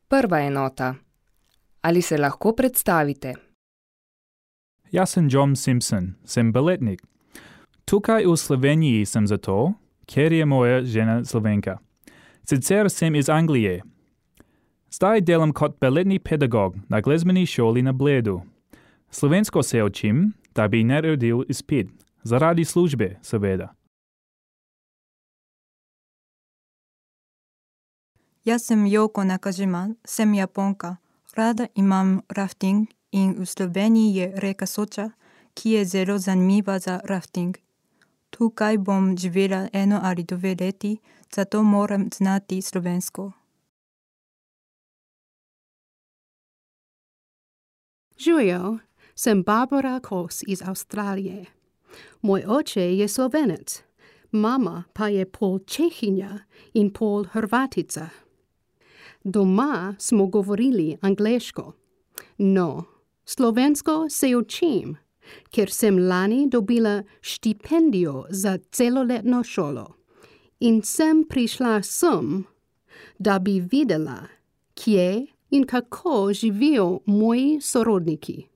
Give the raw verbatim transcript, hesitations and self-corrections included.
Prva enota. Ali se lahko predstavite? Jaz sem John Simpson, sem baletnik. Tukaj v Sloveniji sem zato, ker je moja žena Slovenka. Sicer sem iz Anglije. Zdaj delam kot baletni pedagog na glasbeni šoli na Bledu. Slovensko se učim, da bi naredil izpit, zaradi službe, seveda. Jaz sem Yoko Nakajima, sem Japonka. Rada imam rafting in v Sloveniji je reka Soča, ki je zelo zanimiva za rafting. Tukaj bom živela eno ali dve leti, zato moram znati slovensko. Živijo, sem Barbara Kos iz Avstralije. Moj oče je Slovenec, mama pa je pol Čehinja in pol Hrvatica. Doma smo govorili angleško. No, slovensko se učim, ker sem lani dobila štipendijo za celoletno šolo. In sem prišla sem, da bi videla, kje in kako živijo moji sorodniki.